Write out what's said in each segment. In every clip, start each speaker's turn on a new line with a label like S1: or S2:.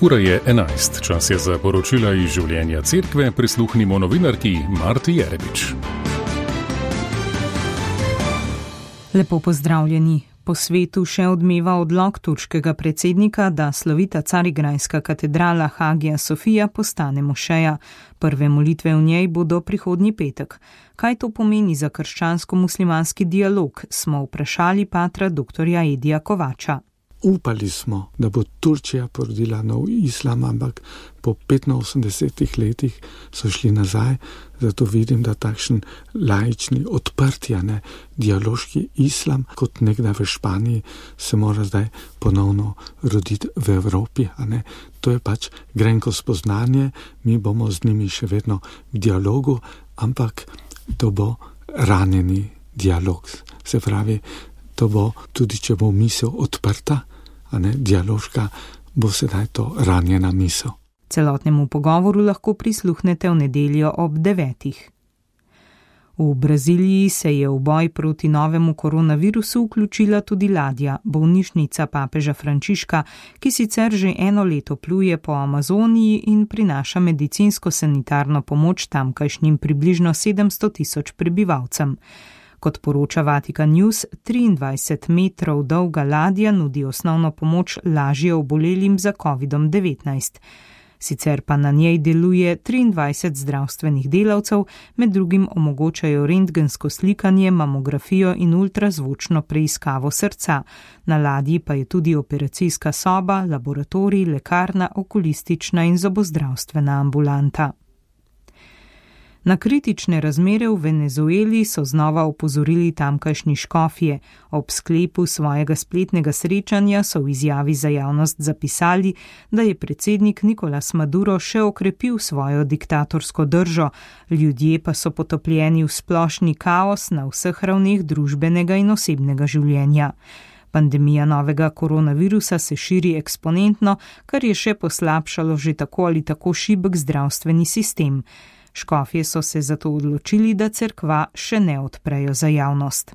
S1: Ura je 11, čas je za poročila iz življenja cerkve, prisluhnimo novinarki Marti Jerebič.
S2: Lepo pozdravljeni. Po svetu še odmeva odlok turškega predsednika, da slovita carigrajska katedrala Hagija Sofija postane mošeja. Prve molitve v njej bodo prihodnji petek. Kaj to pomeni za krščansko-muslimanski dialog, smo vprašali patra dr. Edija Kovača.
S3: Upali smo, da bo Turčija porodila nov islam, ampak po 85 letih so šli nazaj, zato vidim, da takšen laični, odprti, dialoški islam, kot nekdaj v Španiji, se mora zdaj ponovno roditi v Evropi. To je pač grenko spoznanje, mi bomo z njimi še vedno v dialogu, ampak to bo ranjeni dialog. Se pravi, to bo, tudi če bo misel odprta, dialoška, bo sedaj to ranjena misel.
S2: Celotnemu pogovoru lahko prisluhnete v nedeljo ob 9. V Braziliji se je v boj proti novemu koronavirusu vključila tudi ladja, bolnišnica papeža Frančiška, ki sicer že eno leto pluje po Amazoniji in prinaša medicinsko-sanitarno pomoč tamkajšnjim približno 700.000 prebivalcem. Kot poroča Vatikan News, 23 metrov dolga ladja nudi osnovno pomoč lažje obolelim za COVID-19. Sicer pa na njej deluje 23 zdravstvenih delavcev, med drugim omogočajo rentgensko slikanje, mamografijo in ultrazvočno preiskavo srca. Na ladji pa je tudi operacijska soba, laboratorij, lekarna, okulistična in zobozdravstvena ambulanta. Na kritične razmere v Venezueli so znova opozorili tamkajšnji škofje. Ob sklepu svojega spletnega srečanja so v izjavi za javnost zapisali, da je predsednik Nicolás Maduro še okrepil svojo diktatorsko držo, ljudje pa so potopljeni v splošni kaos na vseh ravneh družbenega in osebnega življenja. Pandemija novega koronavirusa se širi eksponentno, kar je še poslabšalo že tako ali tako šibek zdravstveni sistem. Škofje so se zato odločili, da cerkva še ne odprejo za javnost.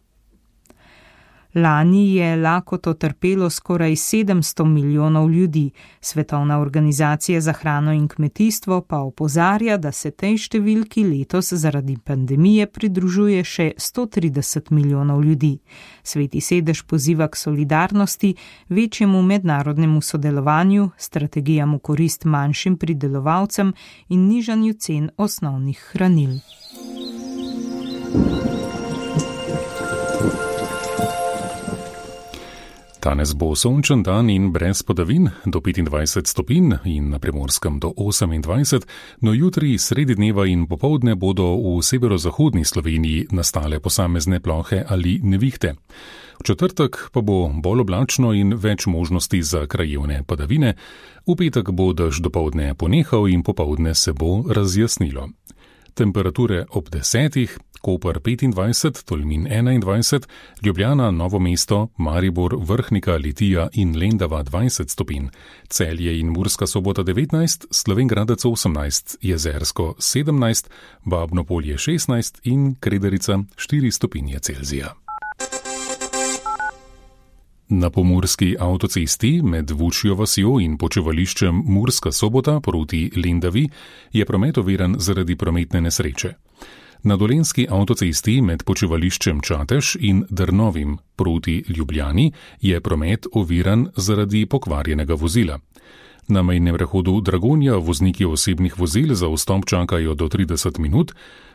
S2: Lani je lakoto trpelo skoraj 700 milijonov ljudi. Svetovna organizacija za hrano in kmetijstvo pa opozarja, da se tej številki letos zaradi pandemije pridružuje še 130 milijonov ljudi. Sveti sedež poziva k solidarnosti, večjemu mednarodnemu sodelovanju, strategijam v korist manjšim pridelovalcem in nižanju cen osnovnih hranil.
S1: Danes bo sončen dan in brez padavin, do 25 stopinj in na Primorskem do 28, no jutri sredi dneva in popoldne bodo v severozahodni Sloveniji nastale posamezne plohe ali nevihte. V četrtek pa bo bolj oblačno in več možnosti za krajevne padavine, v petek bo dež dopoldne ponehal in popoldne se bo razjasnilo. Temperature ob 10, Koper 25, Tolmin 21, Ljubljana, Novo mesto, Maribor, Vrhnika, Litija in Lendava 20 stopinj, Celje in Murska Sobota 19, Slovenj Gradec 18, Jezersko 17, Babno Polje 16 in Krederica 4 stopinje Celzija. Na pomurski avtocesti med Vučjo vasjo in počivališčem Murska Sobota proti Lendavi je promet oviran zaradi prometne nesreče. Na dolenjski avtocesti med počivališčem Čatež in Drnovim proti Ljubljani je promet oviran zaradi pokvarjenega vozila. Na mejnem prehodu Dragonja vozniki osebnih vozil za vstop čakajo do 30 minut,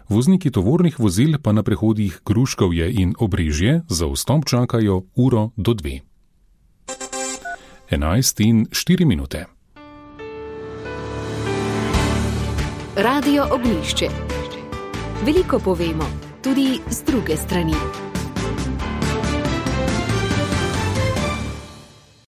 S1: vozniki tovornih vozil pa na prehodih Gruškovje in Obrežje za vstop čakajo uro do 2. 11:04.
S4: Radio Ognjišče. Veliko povemo, tudi z druge strani.